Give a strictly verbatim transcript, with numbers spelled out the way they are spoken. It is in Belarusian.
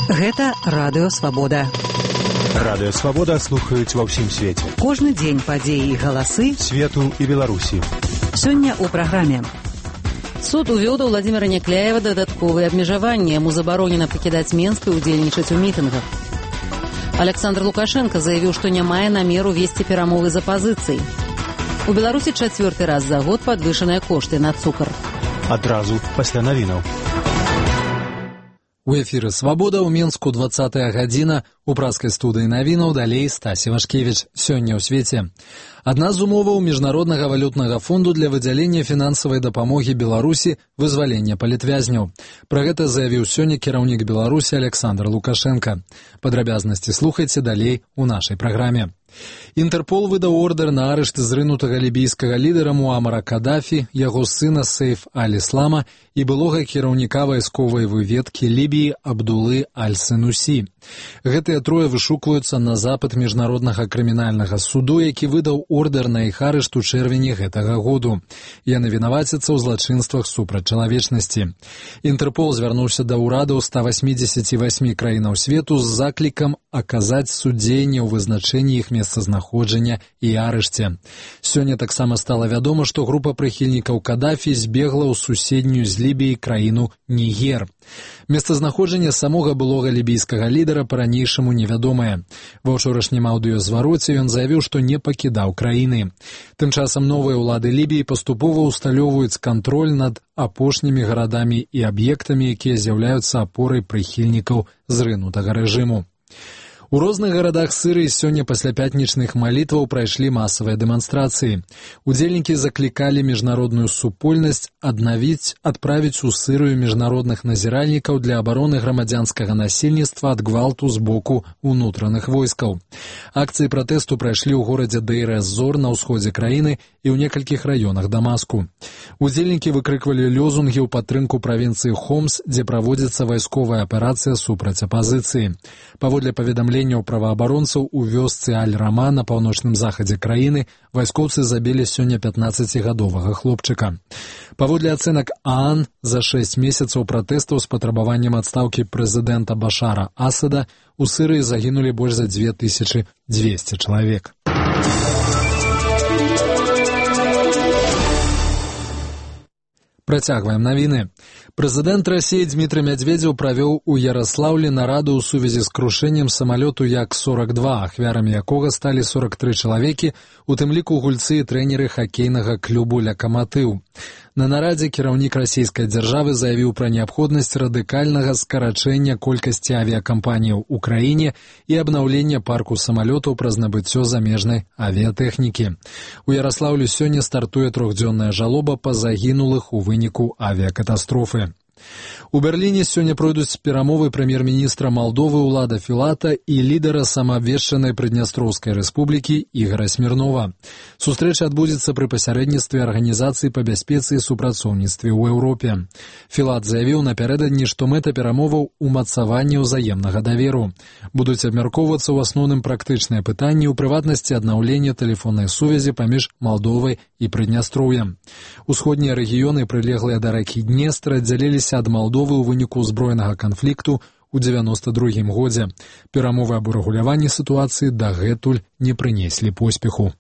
Гэта Радыё Свабода. Радыё Свабода слухаюць ва ўсім свеце. Кожны дзень падзеі і галасы свету і Беларусі. Сёння ў праграме. Суд увёў да Владзіміра Някляева дадатковыя абмежаванні. Яму забаронена пакідаць Менск і ўдзельнічаць у мітынгах. Александр Лукашенко заявіў, што не мае намеру весці перамовы з апазіцыяй. У Беларусі чацвёрты раз за год падвышаныя кошты на цукар. Адразу пасля навінаў. У эфіры «Свабода» ў Менску двадцатая гадзіна. У праскай студыі навінаў далей Стасі Вашкевіч. Сёння ў свеце. Адна з умоваў Міжнароднага валютнага фонду для выдзялення фінансавай дапамогі Беларусі – вызвалення палітвязняў. Пра гэта заявіў сёння кіраўнік Беларусі Александр Лукашенко. Падрабязнасці слухайце далей у нашай праграме. Інтэрпол выдаў ордэр на арышт зрынутага лібійскага лідара Муамара Кадафі, яго сына Сейф аль-Іслама і былога кіраўніка вайсковай выведкі Лібіі Абдулы аль-Сенусі. Гэтыя трое вышукваюцца на запыт Міжнароднага крымінальнага суду, які выдаў ордэр на іх арышт у чэрвені гэтага году. Яны вінавацяцца ў злачынствах супраць чалавечнасці. Інтэрпол звярнуўся да ўрадаў ста васьмідзесяці васьмі краінаў свету з заклікам аказаць судзенне ў вызначэнні іх месцазнаходжання і арышце. Сёння таксама стала вядома, што група прыхільнікаў Кадафі збегла ў суседнюю з Лібіяй краіну Нігер. Месцазнаходжанне самога былога лібійскага лідара па-ранейшаму невядомае. Ва ўчорашнім аўдыёзвароце ён заявіў, што не пакідаў краіны. Тым часам новыя ўлады Лібіі паступова ўсталёўваюць кантроль над апошнімі гарадамі і аб'ектамі, якія з'яўляюцца апорай прыхільнікаў зрынутага рэжыму. У розных гарадах Сірыі сёння пасля пятнічных малітваў прайшлі масавыя дэманстрацыі. Удзельнікі заклікалі міжнародную супольнасць аднавіць, адправіць у Сірыю міжнародных назіральнікаў для абароны грамадзянскага насельніцтва ад гвалту з боку ўнутраных войскаў. Акцыі пратэсту прайшлі ў горадзе Дейр-эз-Зор на ўсходзе краіны і ў некалькіх раёнах Дамаску. Удзельнікі выкрыквалі лёзунгі ў падтрымку правінцыі Хомс, дзе праводзіцца вайсковая аперацыя супраць апазіцыі. Паводле паведамлення праваабаронцаў у вёсцы Аль-Рама на паўночным захадзе краіны вайскоўцы забілі сёння пятнаццацігадовага хлопчыка. Паводле ацэнак ААН, за шэсць месяцаў пратэстаў з патрабаваннем адстаўкі прэзідэнта Башара Асада у Сірыі загінулі больш за дзве тысячы дзвесце чалавек. Працягваем навіны. Прэзідэнт Расіі Дмітрый Мядзведзеў правёў у Яраслаўлі нараду ў сувязі з крушэннем самалёту Як сорок два, ахвярамі якога сталі сорок тры чалавекі, у тым ліку гульцы і трэнеры хакейнага клубу «Лакаматыў». На нарадзе кіраўнік расійскай дзяржавы заявіў пра неабходнасць радыкальнага скарачэння колькасці авіякампаніяў у краіне і абнаўлення парку самалётаў праз набыццё замежнай авіятэхнікі. У Яраслаўлі сёння стартуе трохдзённая жалоба па загінулых у выніку авіякатастрофы. У Берліне сёння пройдуць перамовы прэм'ер-міністра Малдовы Улада Філата і лідара самаабвешчанай Прыднястроўскай рэспублікі Ігара Смірнова. Сустрэча адбудзецца пры пасярэдніцтве Арганізацыі па бяспецы і супрацоўніцтве ў Еўропе. Філат заявіў напярэдадні, што мэта перамоваў умацаванне ўзаемнага даверу. Будуць абмяркоўвацца ў асноўным практычныя пытанні, у прыватнасці аднаўлення тэлефоннай сувязі паміж Малдовай і Прыднястроўем. Усходнія рэгіёны, прылеглыя да ракі Днестр, аддзяліліся ад Малдовы ў выніку ўзброенага канфлікту ў дзевяноста другім годзе. Перамовы аб урэгуляванні сітуацыі дагэтуль не прынеслі поспеху.